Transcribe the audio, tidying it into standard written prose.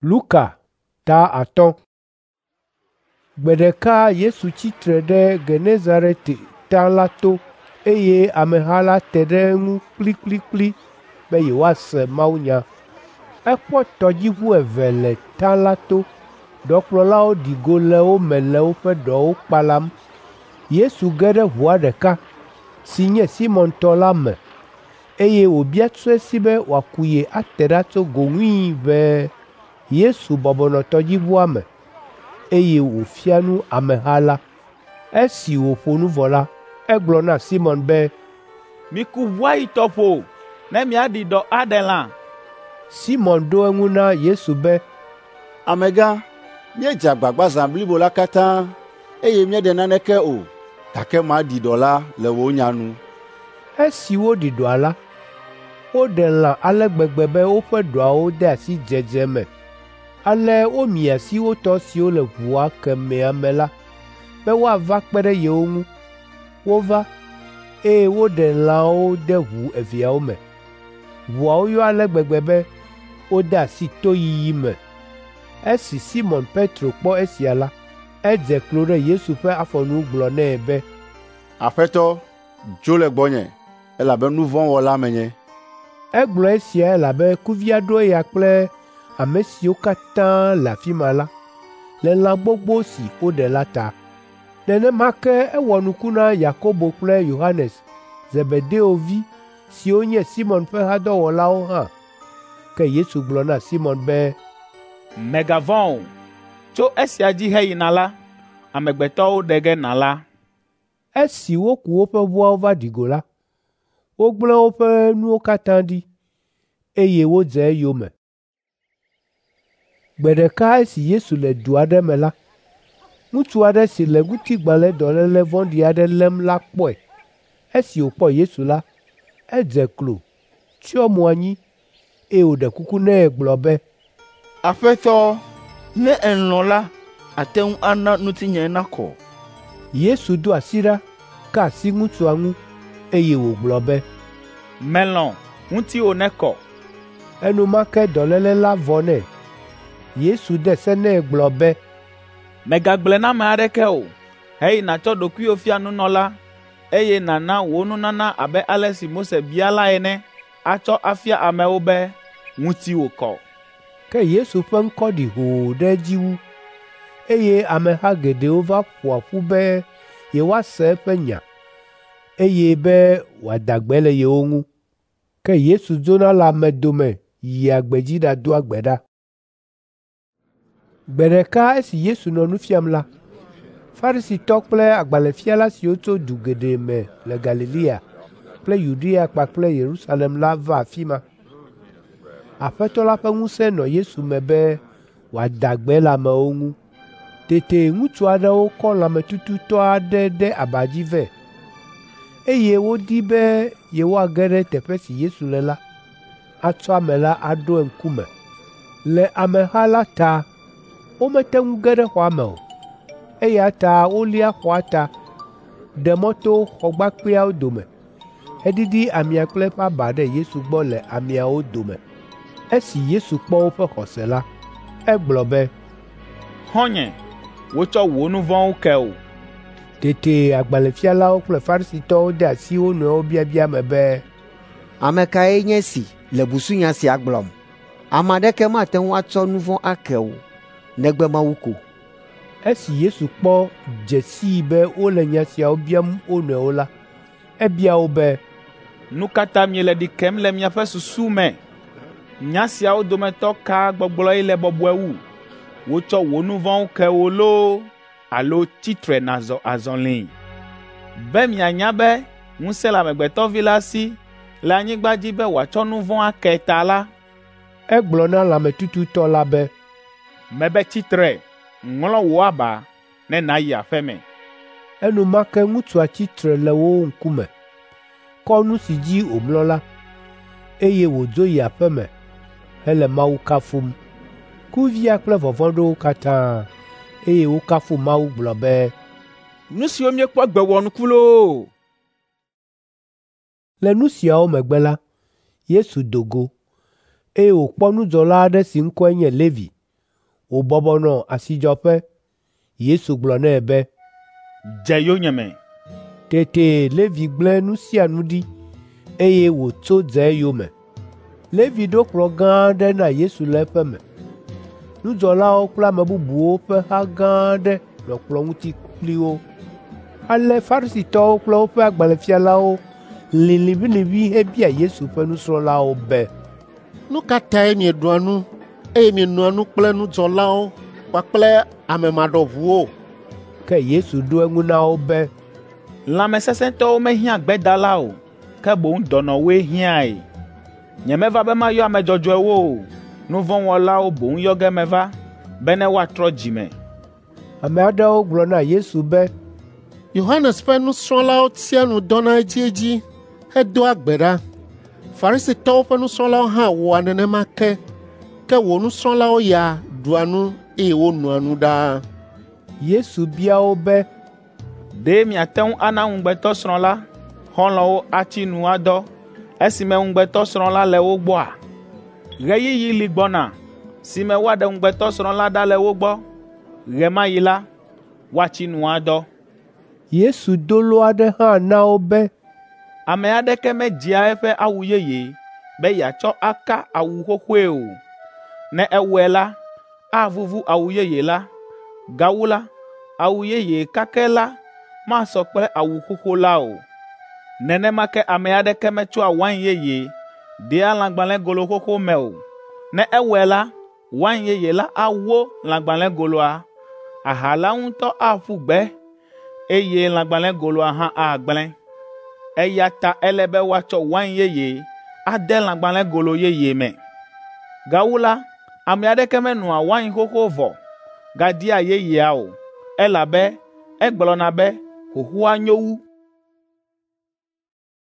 Luka ta 5. Gbe ɖeka Yesu tsi tre ɖe Genezaret ta la to eye ameha la te ɖe eŋu kplikplikpli be yewoase mawunya. Ekpɔ tɔdziʋu eve le ta la to. Ɖɔkplɔlawo ɖi go le wo me le woƒe ɖɔwo kpalam. Yesu ge ɖe ʋua ɖeka, si nye Simɔn tɔ la me, eye wòbia tso esi be wòaku ye ate ɖa tso go ŋui ʋɛe. Yesu bɔbɔ nɔ tɔdziʋua me, eye wòfia nu ameha la. Esi wòƒo nu vɔ la, egblɔ na Simɔn be, “Miku ʋua yi tɔƒo ne miaɖi ɖɔ aɖe lã.” Simɔn ɖo eŋu na Yesu be, “Amegã, míedze agbagba zã blibo la katã, eye míeɖe naneke o, gake maɖi ɖɔ la le wò nya nu.” Esi woɖi ɖɔa la, woɖe lã ale gbegbe be woƒe ɖɔawo de asi dzedze me. Ale womia asi wo tɔ siwo le ʋua kemɛa me la be woava kpe ɖe yewo ŋu. Wova, eye woɖe lãawo de ʋu eveawo me. Ʋuawo yɔ ale gbegbe be wode asi toyiyi me. Esi Simɔn Petro kpɔ esia la, edze klo ɖe Yesu ƒe afɔnu gblɔ nɛ be, “Aƒetɔ, dzo le gbɔnye, elabe nu vɔ̃ wɔla menye.” Egblɔ esia elabe kuvia ɖo eya kple ame siwo katã le afi ma la le lã gbogbo si woɖe la ta. Nenema ke ewɔ nuku na Yakobo kple Yohanes, Zebedeo vi siwo nye Simɔn ƒe hadɔwɔlawo hã. Ke Yesu gblɔ na Simɔn be, “Mègavɔ̃ o. Tso esia dzi heyina la, amegbetɔwo ɖe ge nàla.” Esi woku woƒe ʋuawo va ɖi go la, wogblẽ woƒe nuwo katã ɖi, eye wodze eyome. Gbe ɖeka esi Yesu le du aɖe me la, ŋutsu aɖe si le ŋutigbalẽdɔléle vɔ̃ɖi aɖe lém la kpɔe. Esi wòkpɔ Yesu la, edze klo, tsyɔ mo anyi, eye wòɖe kuku nɛ gblɔ be, “Aƒetɔ, ne èlɔ̃ la, àte ŋu ana ŋutinye nakɔ.” Yesu do asi ɖa, ka asi ŋutsua ŋu, eye wògblɔ be, “Melɔ̃, ŋutiwò nekɔ.” Enumake dɔléle la vɔ nɛ. Yesu de se nɛ gblɔ be, “Mègagblɔe na ame aɖeke o. Heyi nàtsɔ ɖokuiwò fia nunɔla, eye nàna wò nunana abe ale si Mose bia la ene atsɔ afia amewo be ŋutiwò kɔ.” Ke Yesu ƒe ŋkɔ ɖi hoo ɖe edzi wu, eye ameha geɖewo va ƒoa ƒu be yewoase eƒe nya, eye be wòada gbe le yewo ŋu. Ke Yesu dzona le ame dome yia gbedzi ɖadoa gbe ɖa. Gbe ɖeka esi Yesu nɔ nu fiam la, Farisitɔ kple agbalẽfiala siwo tso du geɖe me le Galilea kple Yudea kpakple Yerusalem la va afi ma. Aƒetɔ la ƒe ŋusẽ nɔ Yesu me be wòada gbe le amewo ŋu. Tete ŋutsu aɖewo kɔ lãmetututɔ aɖe ɖe aba dzi vɛ, eye wodi be yewoage ɖe teƒe si Yesu le la, atsɔ ame la aɖo eŋkume. Le ameha la ta womete ŋu ge ɖe xɔa me o, eya ta wolia xɔa ta, ɖe mɔ to xɔgbakpeawo dome, heɖiɖi amea kple eƒe aba ɖe Yesu gbɔ le ameawo dome. Esi Yesu kpɔ woƒe xɔse la, egblɔ be, “Xɔ̃nye, wotsɔ wò nu vɔ̃wo ke wò.” Tete agbalẽfialawo kple Farisitɔwo de asi wo nɔewo biabia me be, “Ame kae nye esi le busunya sia gblɔm? Ame aɖeke mate ŋu atsɔ nu vɔ̃ ake o, negbe Mawu ko.” Esi Yesu kpɔ dze sii be wole nya siawo biam wo nɔewo la, ebia wo be, “Nu ka ta miele ɖi kem le miaƒe susu me? Nya siawo dometɔ ka gbɔgblɔe le bɔbɔe wu? Wotsɔ wò nu vɔ̃wo ke wò loo alo tsi tre nàzɔ azɔli? Be mianya be ŋusẽ le Amegbetɔ Vi la si le anyigba dzi be wòatsɔ nu vɔ̃ ake ta la, Egblɔ na lãmetututɔ la be, mebe tsi tre, ŋlɔ wò aba ne nàyi aƒe me.” Enumake ŋutsua tsi tre le wo ŋkume, kɔ nu si dzi wòmlɔ la, eye wòdzo yi aƒe me hele Mawu kafum. Kuvia kple vɔvɔ̃ ɖo wo katã, eye wokafu Mawu gblɔ be, “Nu siwo míekpɔ egbe wɔ nuku loo!” Le nu siawo megbe la, Yesu do go, eye wòkpɔ nudzɔla aɖe si ŋkɔe nye Levi. Wòbɔbɔ nɔ asidzɔƒe. Yesu gblɔ nɛ be, “Dze yonyeme.” Tete Levi gblẽ nu sia nu ɖi, eye wòtso dze eyome. Levi ɖo kplɔ̃ gã aɖe na Yesu le eƒe me. Nudzɔlawo kple ame bubuwo ƒe ha gã aɖe nɔ kplɔ̃ ŋuti kpli wo. Ale Farisitɔwo kple woƒe agbalẽfialawo lĩ liʋĩliʋĩ hebia Yesu ƒe nusrɔ̃lawo be, “Nu ka tae mieɖua nu, eye mienoa nu kple nudzɔlawo kpakple ame maɖɔʋuwo?” Ke Yesu ɖo eŋu na wo be, “Lãmesesẽtɔwo mehiã gbedala o, ke boŋ dɔnɔwoe hiãe. Nyemeva be mayɔ ame dzɔdzɔewo o, nu vɔ̃ wɔlawo boŋ yɔ ge meva, bene woatrɔ dzi me.” Ame aɖewo gblɔ na Yesu be, “Yohanes ƒe nusrɔ̃lawo tsia nu dɔna edziedzi hedoa gbe ɖa. Farisitɔwo ƒe nusrɔ̃lawo hã wɔa nenema ke, ke wò nusrɔ̃lawo ya ɖua nu eye wonoa nu ɖaa.” Yesu bia wo be, “Ɖe miate ŋu ana ŋugbetɔsrɔ̃ la xɔlɔ̃wo atsi nu adɔ esime ŋugbetɔsrɔ̃ la le wo gbɔa? Ɣeyiɣi li gbɔna si me woaɖe ŋugbetɔsrɔ̃ la ɖa le wo gbɔ. Ɣe ma ɣi la, woatsi nu adɔ.” Yesu do lo aɖe hã na wo be, “Ame aɖeke medzea eƒe awu yeye be yeatsɔ aka awu xoxoe o. Ne ewɔe la, avuvu awu yeye la. Gawu la, awu yeye kakɛ la masɔ kple awu xoxo la o. Nenema ke ame aɖeke metsɔa wain yeye dea lãgbalẽgolo xoxo me o. Ne ewɔe la, wain yeye la awo lãgbalẽgoloa, aha la ŋutɔ aƒu gbe, eye lãgbalẽgoloa hã agblẽ. Eya ta ele be woatsɔ wain yeye ade lãgbalẽgolo yeye me. Gawu la, ame aɖeke menoa wain xoxo vɔ gadia yeyea o, elabe egblɔna be xoxoa nyo wu.”